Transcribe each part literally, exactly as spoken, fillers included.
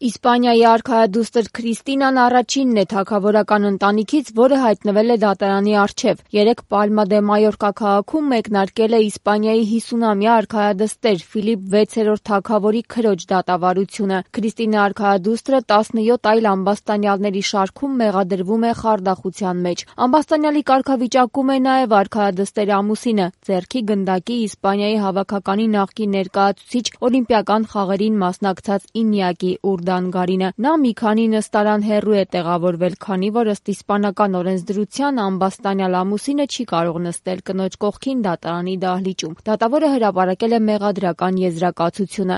Իսպանիայի արքայադուստր Քրիստինան առաջինն է թագավորական ընտանիքից, որը հայտնվել է դատարանի առջև։ Երեկ Պալմա դե Մայորկա քաղաքում մեկնարկել է Իսպանիայի հիսունամյա արքայադստեր Ֆիլիպ վեցերորդ թագավորի քրոջ դատավարությունը։ Քրիստինա արքայադուստրը տասնյոթ այլ ամբաստանյալների շարքում մեղադրվում է խարդախության մեջ։ Ամբաստանյալի կարգավիճակում է նաև արքայադստեր ամուսինը, ձեռքի գնդակի Իսպանիայի հավաքականի նախկին ներկայացուցիչ, օլիմպիական խաղերին մասնակցած Ինյակի Ուրդանգարինը։ Նա մի քանի նստարան հեռու է տեղավորվել, քանի որ ըստ իսպանական օրենսդրության ամբաստանյալ ամուսինը չի կարող նստել կնոջ կողքին դատարանի դահլիճում։ Դատավորը հրապարակել է մեղադրական եզրակացությունը։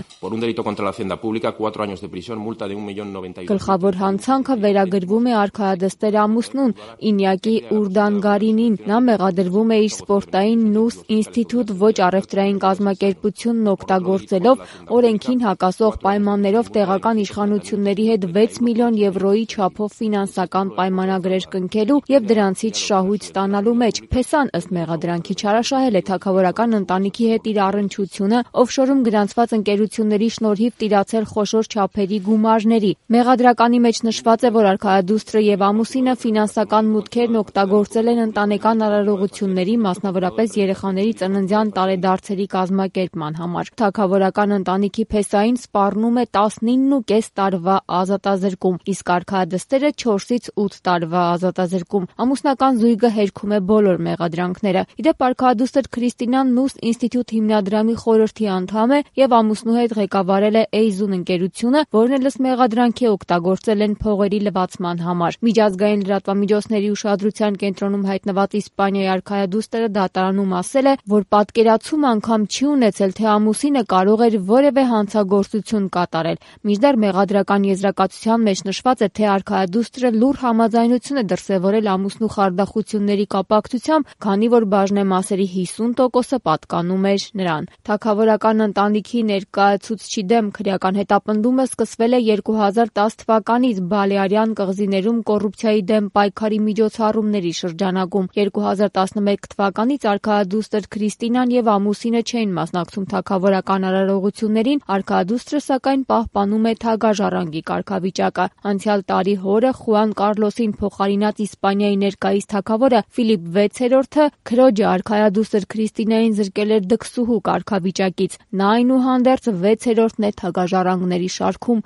Գլխավոր հանցանքը վերագրվում է արքայադստեր ամուսնուն Ինյակի Ուրդանգարինին։ Նա մեղադրվում է իր սպորտային Նուս ինստիտուտ ոչ առևտրային կազմակերպությունն օգտագործելով օրենքին հակասող պայմաններով տեղական իշխանությունների հետ վեց միլիոն եվրոյի չափով ֆինանսական պայմանագրեր կնքելու և դրանցից շահույթ ստանալու մեջ։ Փեսան ըստ մեղադրանքի չարաշահել է թագավորական ընտանիքի հետ իր առնչությունը օֆշորում գրանցված ընկերությունների շնորհիվ տիրացել խոշոր չափերի գումարների։ Մեղադրականի մեջ նշված է, որ արքայադուստրը և ամուսինը ֆինանսական մուտքերն օգտագործել են ընտանեկան արարողությունների, մասնավորապես երեխաների ծննդյան տարեդարձերի կազմակերպման համար։ Թագավորական ընտանիքի փեսային սպառնում է տասնինը ու կես տարվա ազատազրկում, իսկ արքայադստերը չորսից ութ տարվա ազատազրկում։ Ամուսնական զույգը հերքում է բոլոր մեղադրանքները։ Ի դեպ, արքայադուստր Քրիստինան Նուս ինստիտուտ հիմնադրամի խորհրդի անդամ է և ամուսնու հետ ղեկավարել է Էյզուն ընկերությունը, որն էլ ըստ մեղադրանքի օգտագործել են փողերի լվացման համար։ Միջազգային լրատվամիջոցների ուշադրության կենտրոնում հայտնված Իսպանիայի արքայադուստրը դատարանում ասել է, որ պատկերացում անգամ չի ունեցել, թե ամուսինը կարող էր որևէ հանցագործություն կատարել։ Մինչդեռ մեղադրական եզրակացության մեջ նշված է, թե արքայադուստրը լուռ համաձայնություն է դրսևորել ամուսնու խարդախությունների կապակցությամբ, քանի որ բաժնեմասերի հիսուն տոկոսը պատկանում էր նրան։ Թագավորական ընտանիքի ներկայացուցչի դեմ քրեական հետապնդումը սկսվել է երկու հազար տաս թվականից Բալեարյան կղզիներում կոռուպցիայի դեմ պայքարի միջոցառումների շրջանակում։ երկու հազար տասնմեկ թվականից արքայադուստր Քրիստինան և ամուսինը չէին մասնակցում թագավորական արարողություններին, արքայադուստրը սակայն պահպանում է թագաժառանգի կարգավիճակը։ Անցյալ տարի հորը՝ Խուան Կարլոսին փոխարինած Իսպանիայի ներկայիս թագավորը Ֆիլիպ վեցերորդը քրոջը արքայադուստր Քրիստինային զրկել էր դքսուհու կարգավիճակից։ Նա, այնուհանդերձ, վեցերորդն է թագաժառանգների շարքում։